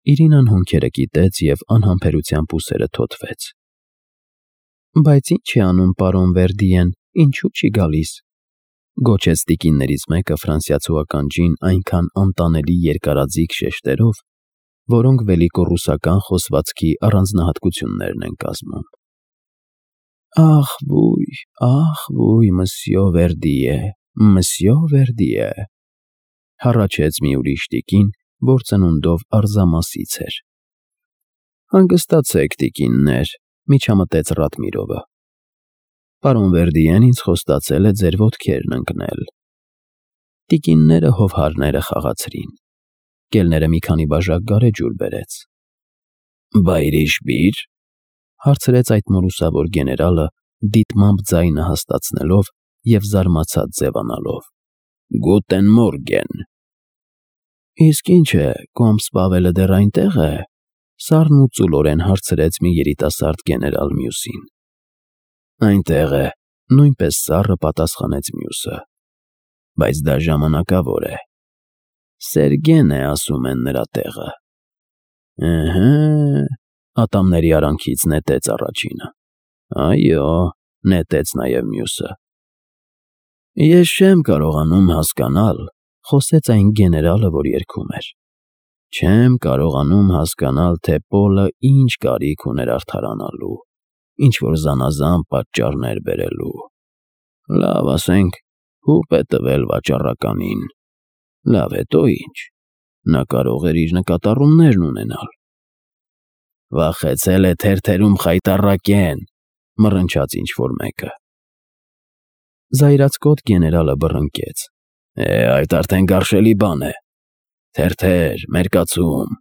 Իրինան հոնքերը կիտեց և անհամբերությամբ ուսերը թոթվեց։ Բայց ինչ է անում պարոն Վերդիեն, ինչու չի գալիս, գոչեց տիկիններից մեկը ֆրանսիացու ականջին այնքան անտանելի երկարաձիգ շեշտերով, որոնք վելիկոռուսական խոսվածքի առանձնահատկություններն են կազմում։ Ախ, ոյ, մսյո Վերդիե, հառաչեց մի ուրիշ տիկին, որ ծնունդով արզամասից էր։ Հանգստացեք, տիկիններ, միջամտեց Ռադմիրովը։ Պարոն Վերդիեն ինձ խոստացել է ձեր ոտքերն ընկնել։ Տիկինները հովհարները խաղացրին։ Կելները մի քանի բաժակ գարեջուր բերեց։ Բայրիշբիր, հարցրեց այդ մորուսավոր գեներալը, դիտմամբ ձայնը հաստացնելով և զարմացած ձևանալով։ Գուտեն մորգեն։ Իսկ ինչ է, կոմս Պավելը դեռ այնտեղ է, սառն ու ծուլորեն հարցրեց մի երիտասարդ գեներալ մյուսին։ Այնտեղ է, նույնպես սառը պատասխանեց մյուսը։ Բայց դա ժամանակավոր է։ Սերգեն է, ասում են նրա տեղը։ Ըհը, ատամների արանքից նետեց առաջինը։ Այո, նետեց նաև մյուսը։ Ես չեմ կարողանում հասկանալ, խոսեց այն գեներալը, որ երգում էր։ Չեմ կարողանում հասկանալ, թե Պոլը ինչ կարիք ուներ արդարանալու, ինչ-որ զանազան պատճառներ բերելու։ Լավ, ասենք, հուպ է տվել վաճառականին։ Լավ, հետո ինչ։ Նա կարող էր իր նկատառումներն ունենալ։ Վախեցել է թերթերում խայտառակեն, մռնչաց ինչ-որ մեկը։ Զայրացկոտ գեներալը բռնկեց։ Այդ արդեն գարշելի բան է։ Թերթեր, մերկացում։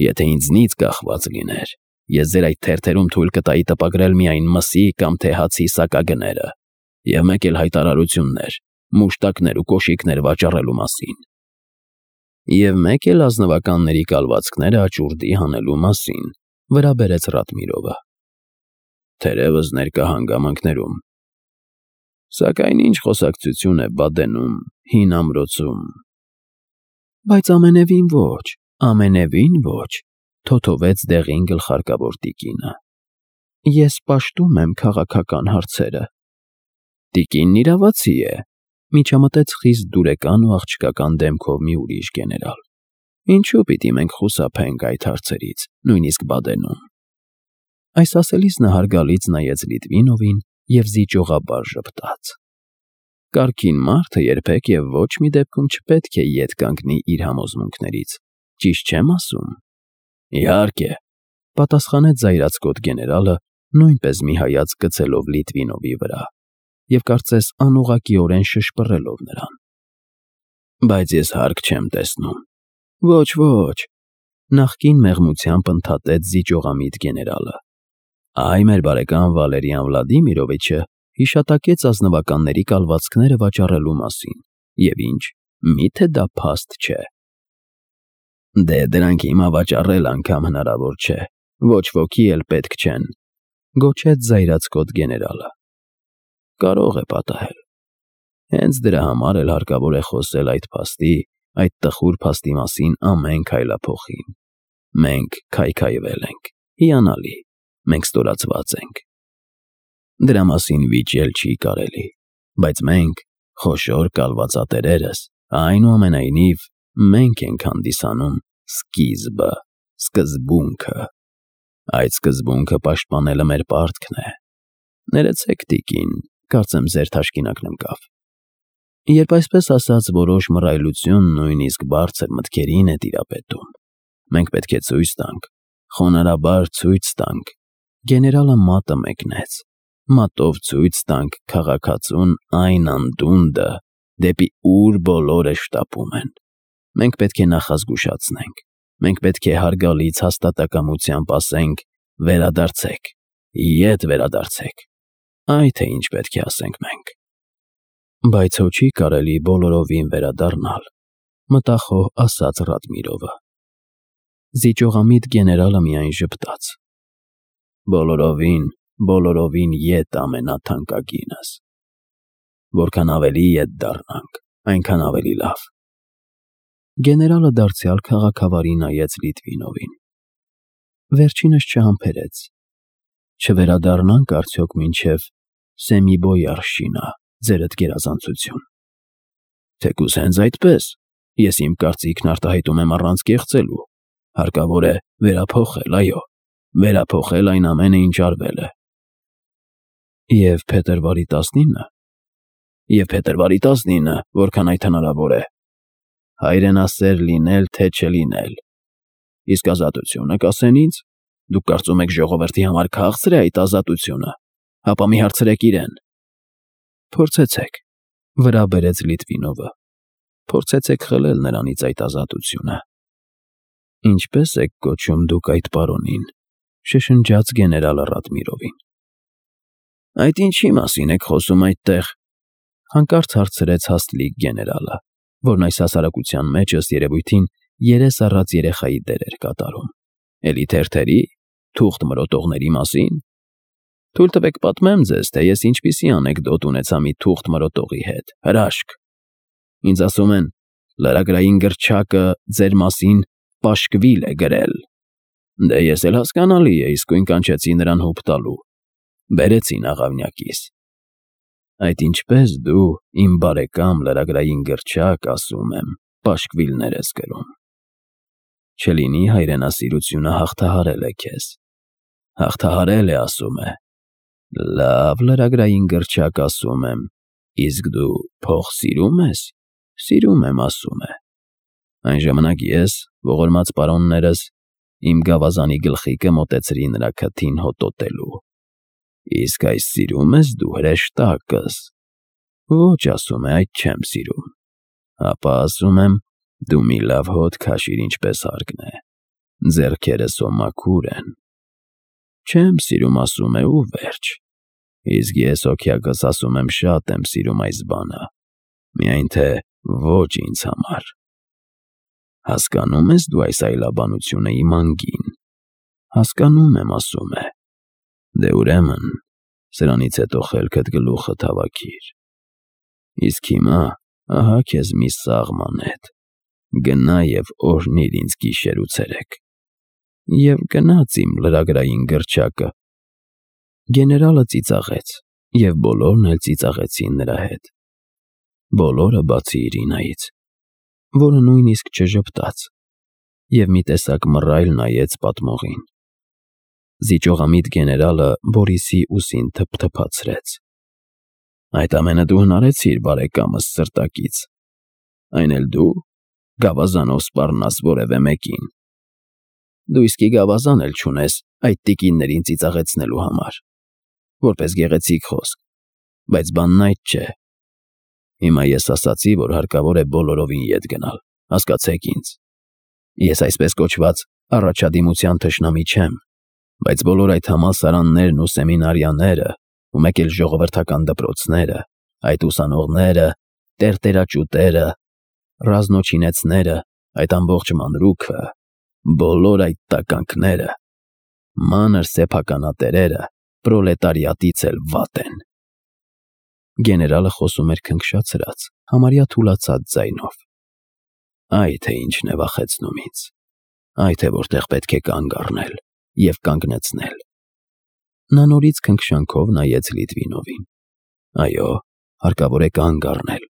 Եթե ինձնից կախված լիներ, ես ձեր այդ թերթերում թույլ կտայի տպագրել միայն մսի կամ թե հացի սակագները, և մեկ էլ հայտարարություններ, մուշտակներ ու կոշիկներ վաճառելու մասին։ Եվ մեկ էլ ազնվականների կալվածքները աճուրդի հանելու մասին, վրա բերեց Ռադմիրովը։ Թերևս ներկա հանգամանքներում։ Սակայն ինչ խոսակցություն է Բադենում, հին ամրոցում։ Բայց ամենևին ոչ, թոթովեց դեղին գլխարկավոր տիկինը։ Ես պաշտում եմ քաղաքական հարցերը։ Տիկինն իրավացի է, միջամտեց խիստ դուրեկան ու աղջկական դեմքով մի ուրիշ գեներալ։ Ինչու պիտի մենք խուսափենք այդ հարցերից, նույնիսկ Բադենում։ Այս ասելիս նա հարգալից նայեց Լիտվինովին և զիջողաբար ժպտաց։ Կարգին մարդը երբեք և ոչ մի դեպքում չպետք է ետ կանգնի իր համոզմունքներից, ճիշտ չեմ ասում։ Իհարկե, պատասխանեց զայրացկոտ գեներալը, նույնպես մի հայացք գցելով Լիտվինովի վրա, և կարծես անուղղակիորեն շշպռելով նրան։ Բայց ես հարկ չեմ տեսնում։ Ոչ, նախկին մեղմությամբ ընդհատեց զիջողամիտ գեներալը։ Այ մեր բարեկամ Վալերիան Վլադիմիրովիչը հիշատակեց ազնվականների կալվածքները վաճառելու մասին, և ինչ, միթե դա փաստ չէ։ Դե դրանք հիմա վաճառել անգամ հնարավոր չէ, ոչ ոքի էլ պետք չեն, գոչեց զայրացկոտ գեներալը։ Կարող է պատահել։ Հենց դրա համար էլ հարկավոր է խոսել այդ փաստի, այդ տխուր փաստի մասին ամեն քայլափոխին։ Մենք քայքայվել ենք, հիանալի, մենք ստորացված ենք։ Դրա մասին վիճել չի կարելի, բայց մենք, խոշոր կալվածատերերս, այնուամենայնիվ, մենք ենք հանդիսանում սկիզբը, սկզբունքը։ Այդ սկզբունքը պաշտպանելը մեր պարտքն է։ Ներեցեք, տիկին, կարծեմ ձեր թաշկինակն ընկավ։ Երբ այսպես ասած որոշ մռայլություն նույնիսկ բարձր մտքերին է տիրապետում, մենք պետք է ցույց տանք, խոնարհաբար ցույց տանք, գեներալը մատը մեկնեց, մատով ցույց տանք քաղաքացուն այն անդունդը, դեպի ուր բոլորը շտապում են։ Մենք պետք է նախազգուշացնենք, մենք պետք է հարգալից հաստատակամությամբ ասենք. վերադարձեք, ետ վերադարձեք։ Այ թե ինչ պետք է ասենք մենք։ Բայց հո չի կարելի բոլորովին վերադառնալ, մտախոհ ասաց Ռադմիրովը։ Զիջողամիտ գեներալը միայն ժպտաց։ Բոլորովին ետ ամենաթանկագինս։ Որքան ավելի ետ դառնանք, այնքան ավելի լավ։ Գեներալը դարձյալ քաղաքավարի նայեց Լիտվինովին։ Վերջինս չհամբերեց։ Չվերադառնանք արդյոք մինչև Սեմիբոյարշինա, ձերդ գերազանցություն։ Թեկուզ հենց այդպես, ես իմ կարծիքն արտահայտում եմ առանց կեղծելու, հարկավոր է վերափոխել, այո, վերափոխել այն ամենը, ինչ արվել է։ Եվ փետրվարի 19-ը։ Եվ փետրվարի 19-ը, որքան այդ հնարավոր է։ Հայրենասեր լինել, թե չլինել։ Իսկ ազատությունը կասեն ինձ, դուք կարծում եք ժողովրդի համար քաղցր է այդ ազատությունը, ապա մի հարցրեք իրեն։ Փորձեցեք, վրա բերեց Լիտվինովը։ Փորձեցեք խլել նրանից այդ ազատությունը։ Ինչպես եք կոչում դուք այդ պարոնին, շշնջաց գեներալը Ռադմիրովին։ Այդ ինչի մասին եք խոսում այդտեղ, հանկարծ հարցրեց հաստլիկ գեներալը, որն այս հասարակության մեջ ըստ երևույթին երես առած երեխայի դեր էր կատարում։ Էլի թերթերի, թուղթ մրոտողների մասին։ Թույլ տվեք պատմեմ ձեզ, թե ես ինչպիսի անեկդոտ ունեցա մի թուղթ մրոտողի հետ, հրաշք։ Ինձ ասում են, լրագրային գրչակը ձեր մասին պաշկվիլ է գրել։ Դե ես էլ հասկանալի է, իսկույն կանչեցի նրան հուպ տալու։ Բերեցին աղավնյակիս։ Այդ ինչպես դու, իմ բարեկամ լրագրային գրչակ, ասում եմ, պաշկվիլներ ես գրում։ Չլինի հայրենասիրությունը հաղթահարել է քեզ։ Հաղթահարել է, ասում է։ Լավ լրագրային գրչակ, ասում եմ, իսկ դու փող սիրում ես։ Սիրում եմ, ասում է։ Այն ժամանակ ես, ողորմած պարոններս, իմ գավազանի գլխիկը մոտեցրի նրա քթին հոտոտելու։ Իսկ այս սիրում ես դու հրեշտակս։ Ոչ, ասում է, այդ չեմ սիրում։ Ապա ասում եմ, դու մի լավ հոտ քաշիր, ինչպես հարկն է։ Ձեռքերս մաքուր են։ Չեմ սիրում, ասում է, ու վերջ։ Իսկ ես հոգյակս ասում եմ, շատ եմ սիրում այս բանը։ Միայն թե ոչ ինձ համար։ Հասկանում ես դու այս այլաբանությունը իմ անգին։ Հասկանում եմ, ասում է։ Դե ուրեմն, սրանից հետո խելքդ գլուխը հավաքիր։ Իսկ հիմա, ահա քեզ մի սաղմանետ։ Գնա և օրհնիր ինձ գիշեր ու ցերեկ։ Եվ գնաց իմ լրագրային գրչակը։ Գեներալը ծիծաղեց, և բոլորն էլ ծիծաղեցին նրա հետ։ Բոլորը բացի Իրինայից, որը նույնիսկ չժպտաց, և մի տեսակ մռայլ նայեց պատմողին։ Զիջողամիտ գեներալը Բորիսի ուսին թփթփացրեց։ Այդ ամենը դու հնարեցիր, բարեկամս սրտակից։ Այն էլ դու, գավազանով սպառնաս որևէ մեկին։ Դու իսկի գավազան էլ չունես այդ տիկիններին ծիծաղեցնելու համար, որպես գեղեցիկ խոսք, բայց բանն այդ չէ։ Հիմա ես ասացի, որ հարկավոր է բոլորովին ետ գնալ, հասկացեք ինձ։ Ես այսպես կոչված առաջադիմության թշնամի չեմ, բայց բոլոր այդ համալսարաններն ու սեմինարիաները, ու մեկ էլ ժողովրդական դպրոցները, այդ ուսանողները, տերտերաճուտերը, ռազմոչինեցները, այդ ամբողջ մանրուքը, բոլոր այդ տականքները, մանր սեփականատերերը պրոլետարիատից էլ վատ են։ Գեներալը խոսում էր քնքշացրած, համարյա թուլացած ձայնով։ Այ թե ինչն է վախեցնում ինձ։ Այ թե որտեղ պետք է կանգ առնել և կանգնեցնել։ Նա նորից քնքշանքով նայեց Լիտվինովին։ Այո, հարկավոր է կանգ առնել։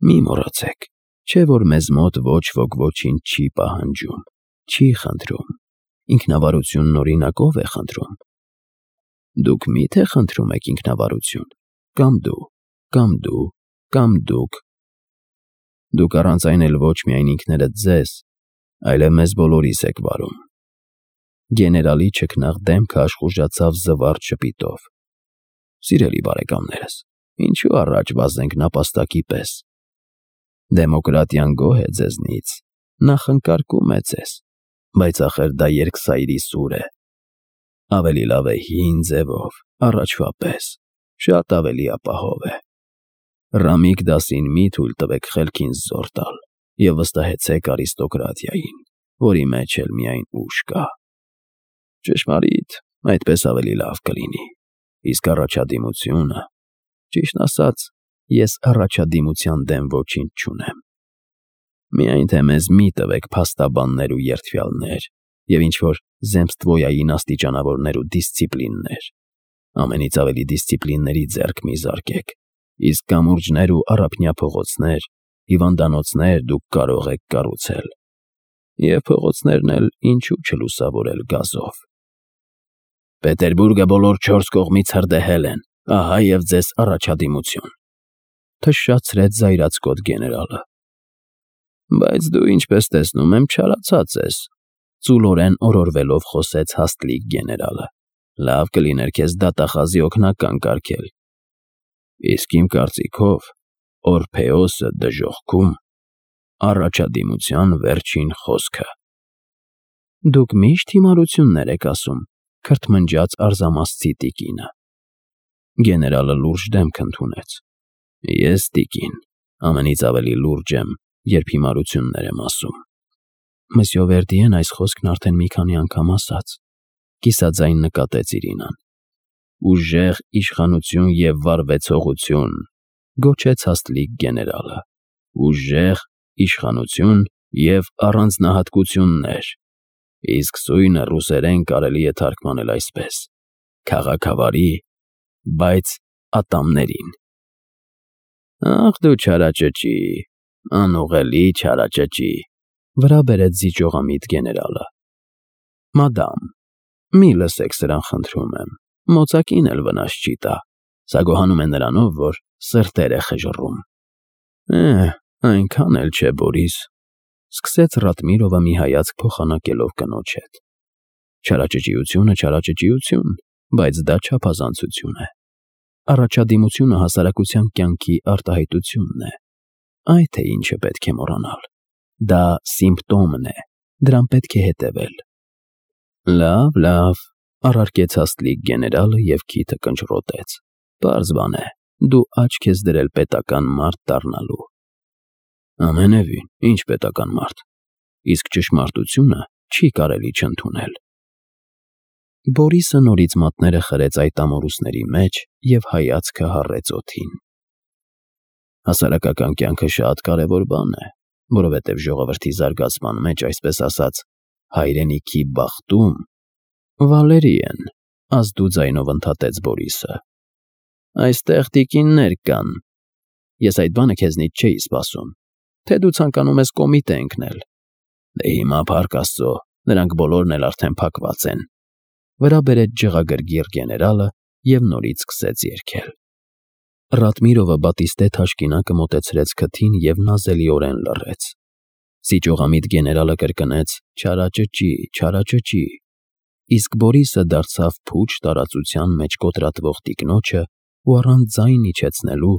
Մի մոռացեք, չէ որ մեզ մոտ ոչ ոք ոչինչ չի պահանջում, չի խնդրում, ինքնավարությունն օրինակով է խնդրում։ Դուք մի՞թե խնդրում եք ինքնավարություն, կամ դու, կամ դու, կամ դուք։ Դուք առանց այն էլ ոչ միայն ինքներդ ձեզ, այլև մեզ բոլորիս եք վարում։ Գեներալի չքնաղ դեմքը աշխուժացավ զվարճ ժպիտով։ Սիրելի բարեկամներս, ինչու առաջ վազենք նապաստակի պես։ Դեմոկրատիան գոհ է ձեզնից, նախընկարկում է ձեզ, բայց ախր դա երկսայրի սուր է։ Ավելի լավ է հին ձևով, առաջվա պես, շատ ավելի ապահով է։ Ռամիկ Դասին մի թույլ տվեք խելքին զոր տալ և վստահեցեք արիստոկրատիային, որի մեջ էլ միայն ուժ կա։ Ճշմարիտ, այդպես ավելի լավ կլինի։ Իսկ առաջադիմությունը, ճիշտն ասած, ես առաջադիմության դեմ ոչինչ չունեմ։ Միայն թե մեզ մի տվեք փաստաբաններ ու երդվյալներ և ինչ-որ զեմստվոյային աստիճանավորներ ու դիսցիպլիններ, ամենից ավելի դիսցիպլինների ձեռք մի զարկեք, իսկ կամուրջներ ու առափնյա փողոցներ, հիվանդանոցներ դուք կարող եք կառուցել, և փողոցներն էլ ինչու չլուսավորել գազով։ Պետերբուրգը բոլոր 4 կողմից հրդեհել են, ահա և ձեզ առաջադիմություն, թշշացրեց զայրացկոտ գեներալը։ Բայց դու, ինչպես տեսնում եմ, չարացած ես, ծուլորեն օրորվելով խոսեց հաստլիկ գեներալը։ Լավ կլիներ քեզ դատախազի օգնական կարգել։ Իսկ իմ կարծիքով Օրփեոսը դժոխքում առաջադիմության վերջին խոսքը։ Դուք միշտ հիմարություններ եք ասում, քրթմնջաց արզամասցի տիկինը։ Գեներալը լուրջ դեմք ընդունեց։ Ես, տիկին, ամենից ավելի լուրջ եմ, երբ հիմարություններ եմ ասում։ Մսյո Վերդիեն այս խոսքն արդեն մի քանի անգամ ասաց, կիսաձայն նկատեց Իրինան։ Ուժեղ իշխանություն և վարվեցողություն, գոչեց հաստլիկ գեներալը։ Ուժեղ իշխանություն և առանձնահատկություններ, իսկ սույնը ռուսերեն կարելի է թարգմանել այսպես. քաղաքավարի, բայց ատամներին։ Ախ դու չարաճճի, անուղելի չարաճճի, վրա բերեց զիջողամիտ գեներալը։ Մադամ, մի լսեք սրան խնդրում եմ, մոծակին էլ վնաս չի տա, սա գոհանում է նրանով, որ սրտեր է խժռում։ Այնքան էլ չէ, Բորիս, սկսեց Ռատմիրովը մի հայացք փոխանակելով կնոջ հետ։ Չարաճճիությունը չարաճճիություն, բայց դա չափազանցություն է։ Առաջադիմությունը հասարակության կյանքի արտահայտությունն է։ Այ թե ինչը պետք է մոռանալ։ Դա սիմպտոմն է, դրան պետք է հետևել։ Լավ, առարկեց հաստլիկ գեներալը և քիթը կնճռոտեց։ Պարզ բան է, դու աչք ես դրել պետական մարդ դառնալու։ Ամենևին, ինչ պետական մարդ, իսկ ճշմարտությունը չի կարելի չընդունել։ Բորիսը նորից մատները խրեց այդ ամորուսների մեջ և հայացքը հառեց օդին։ Հասարակական կյանքը շատ կարևոր բան է, որովհետև ժողովրդի զարգացման մեջ, այսպես ասած, հայրենիքի բախտում Վալերիեն, ազդու ձայնով ընդհատեց Բորիսը։ Այստեղ տիկիններ կան։ Ես այդ բանը քեզնից չէի սպասում, թե դու ցանկանում ես կոմիտե ընկնել։ Դե հիմա, փառք Աստծո, նրանք բոլորն էլ արդեն փակված են։ Վրա բերեց ջղագրգիռ գեներալը և նորից սկսեց երգել։ Ռատմիրովը բատիստե թաշկինակը մոտեցրեց քթին և նազելիորեն լռեց։ Սիճողամիտ գեներալը կրկնեց. «Չարաճճի, չարաճճի», իսկ Բորիսը դարձավ փուչ տարածության մեջ կոտրատվող տիկնոջը ու առանց ձայն իջեցնելու,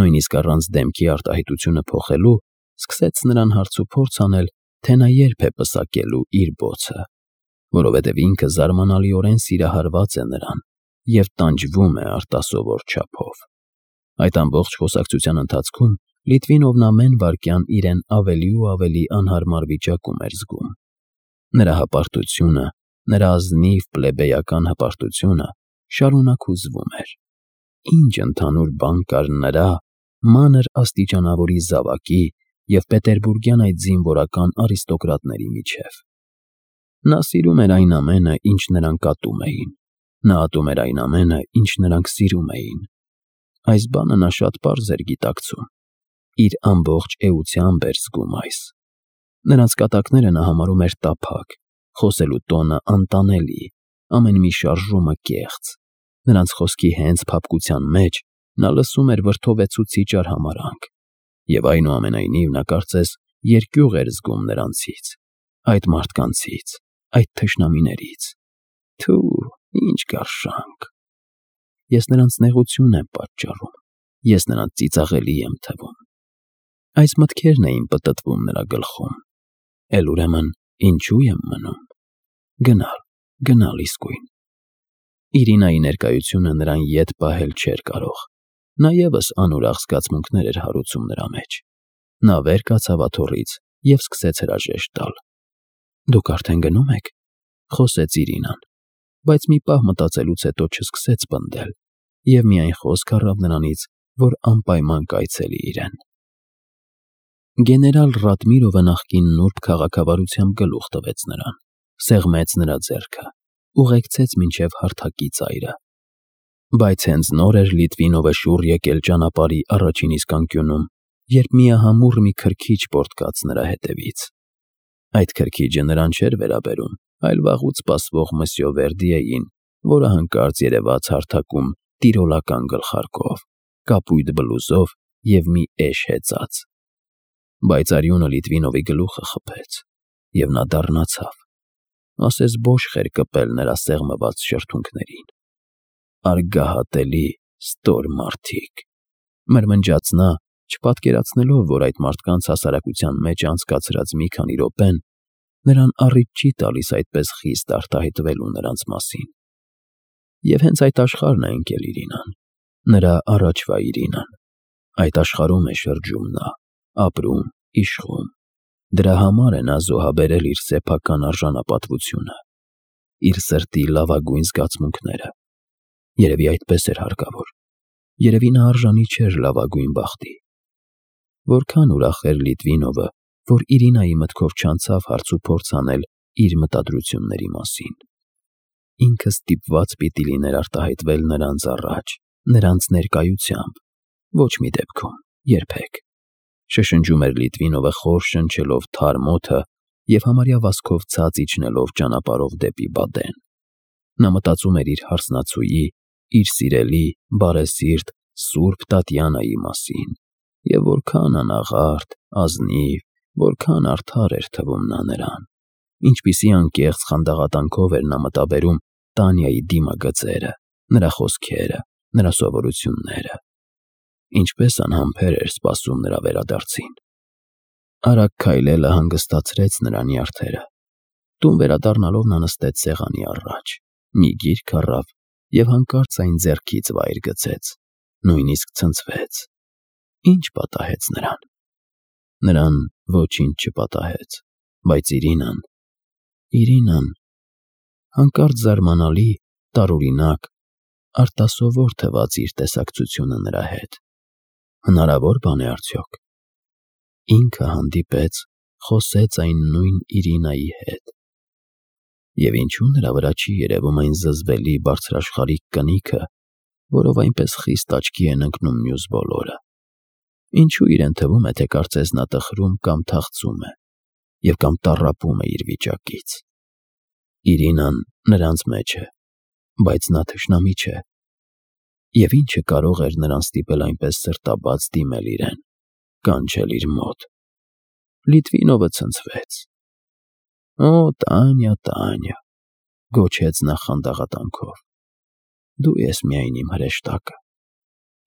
նույնիսկ առանց դեմքի արտահայտությունը փոխելու, սկսեց նրան հարցուփորձ անել, թե նա երբ է պսակելու իր բոցը, որովհետև ինքը զարմանալիորեն սիրահարված է նրան և տանջվում է արտասովոր չափով։ Այդ ամբողջ խոսակցության ընթացքում Լիտվինովն ամեն վայրկյան իրեն ավելի ու ավելի անհարմար վիճակում էր զգում։ Նրա հպարտությունը, նրա ազնիվ պլեբեյական հպարտությունը շարունակ հուզվում էր։ Ինչ ընդհանուր բան կար նրա մանր աստիճանավորի զավակի և պետերբուրգյան այդ զինվորական արիստոկրատների միջև։ Նա սիրում էր այն ամենը, ինչ նրանք ատում էին։ Նա ատում էր այն ամենը, ինչ նրանք սիրում էին։ Այս բանը նա շատ պարզ էր գիտակցում։ Իր ամբողջ էությամբ էր զգում այս։ Նրանց կատակները նա համարում էր տափակ, խոսելու տոնը անտանելի, ամեն մի շարժումը կեղծ։ Նրանց խոսքի հենց փափկության մեջ նա լսում էր վրդովեցուցիչ արհամարհանք։ Եվ այնուամենայնիվ նա կարծես երկյուղ էր զգում նրանցից, այդ մարդկանցից, այդ թշնամիներից։ Թու, ինչ գարշանք։ Ես նրանց նեղություն եմ պատճառում, ես նրանց ծիծաղելի եմ թվում։ Այս մտքերն էին պտտվում նրա գլխում։ Էլ ուրեմն ինչու եմ մնում։ Գնալ իսկույն։ Իրինայի ներկայությունը նրան ետ պահել չէր կարող։ Նա ևս անուրախ զգացմունքներ էր հարուցում նրա մեջ։ Նա վեր կացավ աթոռից և սկսեց հրաժեշտ տալ։ Դուք արդեն գնում եք, խոսեց Իրինան, բայց մի պահ մտածելուց հետո չսկսեց պնդել և միայն խոսք առավ նրանից, որ անպայման կայցելի իրեն։ Գեներալ Ռադմիրովը նախկին նուրբ քաղաքավարությամբ գլուխ տվեց նրան, սեղմեց նրա ձեռքը, ուղեկցեց մինչև հարթակի ծայրը։ Բայց հենց նոր էր Լիտվինովը շուռ եկել ճանապարհի առաջին իսկ անկյունում, երբ միահամուռ մի քրքիջ պոռթկաց նրա հետևից։ Այդ քրքիջը նրան չէր վերաբերում, այլ վաղուց սպասվող Մսյո Վերդիեին, որը հանկարծ երևաց հարթակում տիրոլական գլխարկով, կապույտ բլուզով և մի էշ հեծած։ Բայց արյունը Լիտվինովի գլուխը խփեց, և նա դառնացավ, ասես բոշխ էր կպել նրա սեղմված շրթունքներին։ «Արգահատելի, ստոր մարդիկ», մրմնջաց նա, չպատկերացնելով, որ այդ մարդկանց հասարակության մեջ անցկացրած մի քանի րոպեն նրան առիթ չի տալիս այդպես խիստ արտահայտվելու նրանց մասին։ Եվ հենց այդ աշխարհն է ընկել Իրինան, նրա առաջվա Իրինան։ Այդ աշխարհում է շրջում նա, ապրում, իշխում։ Դրա համար է նա զոհաբերել իր սեփական արժանապատվությունը, իր սրտի լավագույն զգացմունքները։ Երևի այդպես էր հարկավոր։ Երևի նա արժանի չէր լավագույն բախտի։ Որքան ուրախ էր Լիտվինովը, որ Իրինայի մտքով չանցավ հարցուփորձ անել իր մտադրությունների մասին։ Ինքը ստիպված պիտի լիներ արտահայտվել նրանց առաջ, նրանց ներկայությամբ, ոչ մի դեպքում, երբեք։ Շշնջում էր Լիտվինովը խոր շնչելով թարմ օդը և համարյա վազքով ցած իջնելով ճանապարհով դեպի Բադեն։ Նա մտածում էր իր հարսնացուի, իր սիրելի, բարեսիրտ, սուրբ Տատյանայի մասին, և որքան անաղարտ, ազնիվ, որքան արդար էր թվում նա նրան, ինչպիսի անկեղծ խանդաղատանքով էր նա մտաբերում Տանյայի դիմագծերը, նրա խոսքերը, նրա սովորությունները, ինչպես անհամբեր էր սպասում նրա վերադարձին։ Արագ քայլելը հանգստացրեց նրա նյարդերը։ Տուն վերադառնալով նա նստեց սեղանի առաջ, մի գիրք առավ և հանկարծ այն ձեռքից վայր գցեց, նույնիսկ ցնցվեց։ Ինչ պատահեց նրան։ Նրան ոչինչ չպատահեց, բայց Իրինան, հանկարծ զարմանալի, տարօրինակ, արտասովոր թվաց իր տեսակցությունը նրա հետ։ Հնարավոր բան է արդյոք։ Ինքը հանդիպեց, խոսեց այն նույն Իրինայի հետ։ Եվ ինչու նրա վրա չի երևում այն զզվելի բարձրաշխարհիկ կնիքը, որով այնպես խիստ աչքի են ընկնում մյուս բոլորը։ Ինչու իրեն թվում է, թե կարծես նա տխրում կամ թախծում է, և կամ տառապում է իր վիճակից։ Իրինան նրանց մեջ է, բայց նա թշնամի չէ։ Եվ ինչը կարող էր նրան ստիպել այնպես սրտաբաց դիմել իրեն, կանչել իր մոտ։ Լիտվինովը ցնցվեց։ «Օ, Տանյա, Տանյա», գոչեց նա խանդաղատանքով, «դու ես միայն իմ հրեշտակը,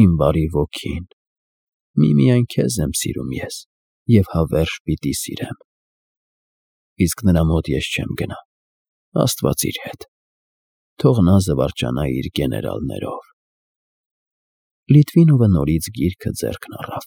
իմ բարի ոգին, միմիայն քեզ եմ սիրում ես և հավերժ պիտի սիրեմ։ Իսկ նրա մոտ ես չեմ գնա, Աստված իր հետ, թող նա զվարճանա իր գեներալներով»։ Լիտվինովը նորից գիրքը ձեռքն առավ։